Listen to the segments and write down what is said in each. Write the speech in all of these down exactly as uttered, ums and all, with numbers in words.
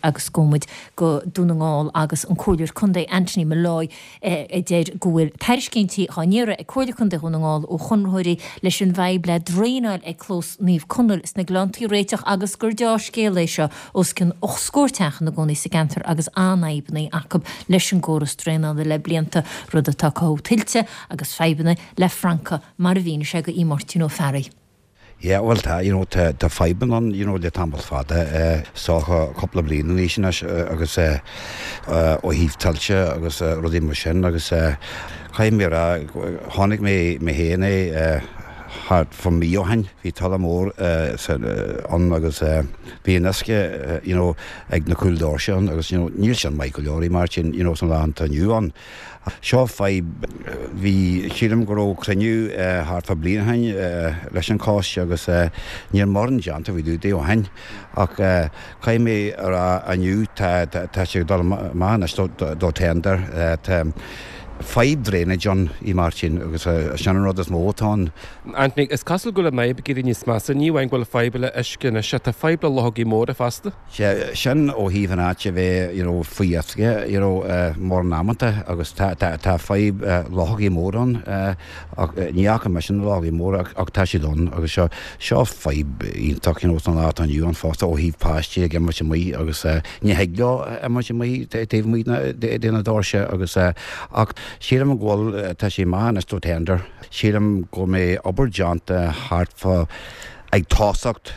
Agus gabhfaidh muid go Dún na nGall agus an Comhairleoir Contae Anthony Molloy a deir go bhfuil tairiscintí á n-iarraidh ag Comhairle Contae Dhún na nGall ó chonraitheoirí leis an bhfadhb le draenáil ag Clós Naomh Conaill sna Gleanntaí a réiteach agus gur dea-scéal é seo os cionn ocht scór teach ina gcónaí sa gceantar agus an-fhadhbanna acu leis an gcóras draenála le blianta, rud atá ag cothú tuilte agus fadhbanna le francaigh mar a mhínigh sé do Mháirtín Ó Fearraigh. Yeah, well tá, you know, tá, tá fadhbanna ann, you know, le tamall fada, eh, sócha cúpla bliain anois anois agus eh, eh, ó thaobh tuilte agus eh, rudaí mar sin agus eh, caithfidh mé a rá, chonaic mé mé féin é eh, thart fá mí ó shin, bhí tuile mór eh, sa, eh, ann agus eh, bhí an uisce, eh, you know, ag na cúl doirse ann agus, you know, níl sin maith go leor í mar sin, you know, san lá atá inniu ann. Seo fadhb, bhí, sílim go raibh cruinniú thart fá bliain ó shin leis an choiste agus níl mórán déanta faoi dtaobh de ó shin ach caithfidh mé a rá inniu tá tá sé ag dul amach anois do tender. Tá fadhb drainage ann i Máirtín agus sin an rud is mó atá ann. Anthony, is cosúil go bhfuil an fhadhb ag éirí níos measa, ní amháin go bhfuil fadhb le uisce anois ach tá fadhb le luchógaí móra fosta. Sea, sin ó thaobh an áit a bheith you know faoi uisce you know mórán amanta agus tá tá tá fadhb luchógaí móra ann ach ní fhaca mise na luchógaí móra ach ach tá siad ann agus seo seo fadhb iontach you know san lá atá inniu ann fosta ó thaobh páistí ag imirt amuigh agus ní thig leo imirt amuigh taobh amuigh de na doirse agus ach sílim go bhfuil tá sé maith anois do tender. Sílim go mbeidh obair déanta thart fá ag tosacht,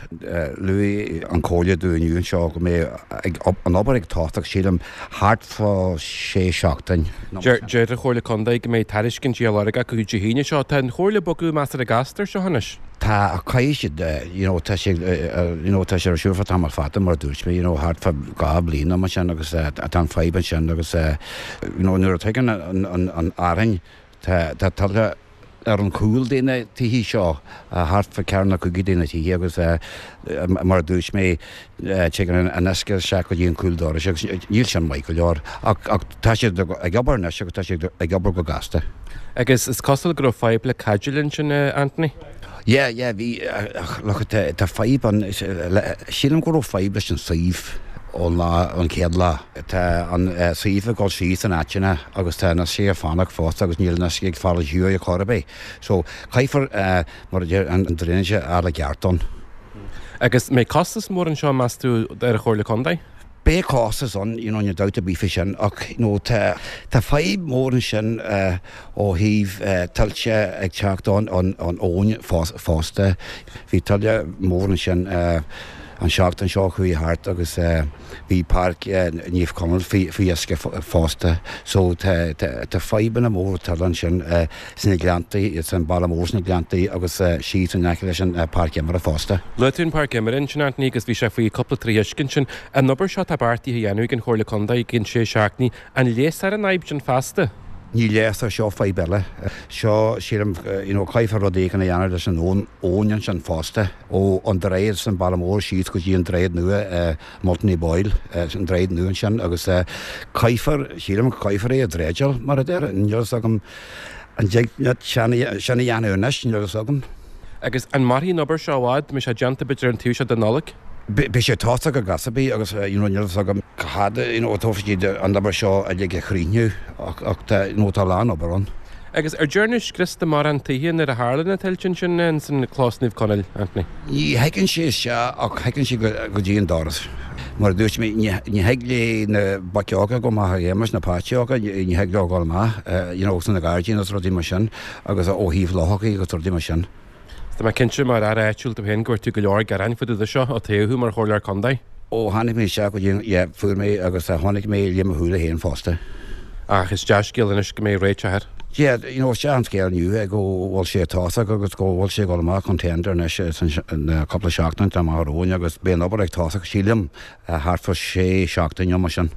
luaigh an Chomhairle dúinn inniu anseo go mbeidh ag an obair ag tosacht, sílim, thart fá sé seachtain. Deir an Chomhairle Contae go mbeidh tairiscintí á lorg acu Dé hAoine seo. Tá an Chomhairle ag bogadh measartha gasta ar seo anois. Tá, ach caithfidh siad, you know, tá sé, you know, tá sé ar siúl fá tamall fada mar a dúirt mé, you know, thart fá dhá bhliain nó mar sin agus tá an fadhb ansin agus, you know, nuair a tagann an, an, an fhearthainn, tá, tá tuile ar an chúl de na tithe seo, thart fá ceathair nó cúig de na tithe agus mar a dúirt mé, tagann an uisce isteach go dtí an cúl dorais agus níl sin maith go leor. Ach, ach tá siad ag obair anois agus tá siad ag obair go gasta. Agus is cosúil go raibh fadhb le caidéil ansin, Anthony? Yeah, yeah, bhí, look, tá, tá fadhb ann, sílim go raibh fadhb leis an suíomh ón lá, an chéad lá. Tá an suíomh ag dul síos in áiteanna agus tá an uisce ag fanacht fosta agus níl an uisce ag fáil ar shiúl ar chor ar bith. So, caithfear, mar a deir, an drainage a fháil i gceart ann. Agus mbeidh costas mór anseo, meas tú, ar an Chomhairle Contae? Beidh costas ann, you know, níl dabht ar bith faoi sin, ach, you know, tá, tá fadhb mór ansin ó thaobh tuilte ag teacht ón, ón, ón abhainn fosta. Bhí tuile mór ansin an seachtain seo chuaigh thart agus bhí páirc Naomh Conaill faoi uisce fosta. So tá, tá, tá fadhbanna móra tuile ansin sna Gleanntaí, san Baile Mór sna Gleanntaí agus síos in aice leis an páirc imeartha fosta. Luaigh tú an páirc imeartha ansin, Anthony, agus bhí sé faoi cúpla troigh uisce ansin. An obair seo atá beartaithe a dhéanamh ag an Chomhairle Contae i gcionn sé seachtainí, an leigheasfar an fhadhb sin feasta? Ní leigheasfar, seo fadhb eile. Seo, sílim, you know, caithfear rud éigin a dhéanamh leis an abhainn ansin fosta, ó an droichead san Baile Mór síos go dtí an droichead nua, Multany Boyle, an droichead nua ansin agus caithfear, sílim, caithfear é a dreideáil, mar a deir, níl a fhios agam an dtig leat sin a dhéanamh anois, níl a fhios agam. Agus an mairfidh an obair seo i bhfad? Mbeidh sé déanta b'fhéidir an taobh seo de Nollaig? Beidh sé tosaithe go gasta ar bith agus you know níl a fhios agam cá fhad you know a tógfaidh siad an obair seo uilig a chríochnú ach ach tá you know tá a lán obair ann. Agus ar dearnadh scrios de mórán tithe nuair a tharla na tuilte ansin ins an Clós Naomh Conaill, Anthony? Ní thigeann sé isteach ach thigeann sé go go dtí an doras. Mar a dúirt mé ní ní thig le na boic óga dul amach ag imirt, na páistí óga, ní thig leo dul amach you know sna gairdíní agus rudaí mar sin agus ó thaobh luchógaí agus rudaí mar sin. Tá mé cinnte mar fhear áitiúil tú féin go bhfuair tú go leor gearáin fá dtaobh de seo ó toghadh thú mar chomhairleoir contae. Ó tháinig mé isteach go dtí an, yeah, fuair mé agus chonaic mé le mo shúile féin fosta. Ach is dea-scéal anois go mbeidh réiteach air. Yeah, you know, is dea an scéal inniu é go bhfuil sé ag tosach agus go bhfuil sé ag dul amach chun tender anois san cúpla seachtain atá amach romhainn agus beidh an obair ag tosach, sílim, thart fá sé seachtain nó mar sin.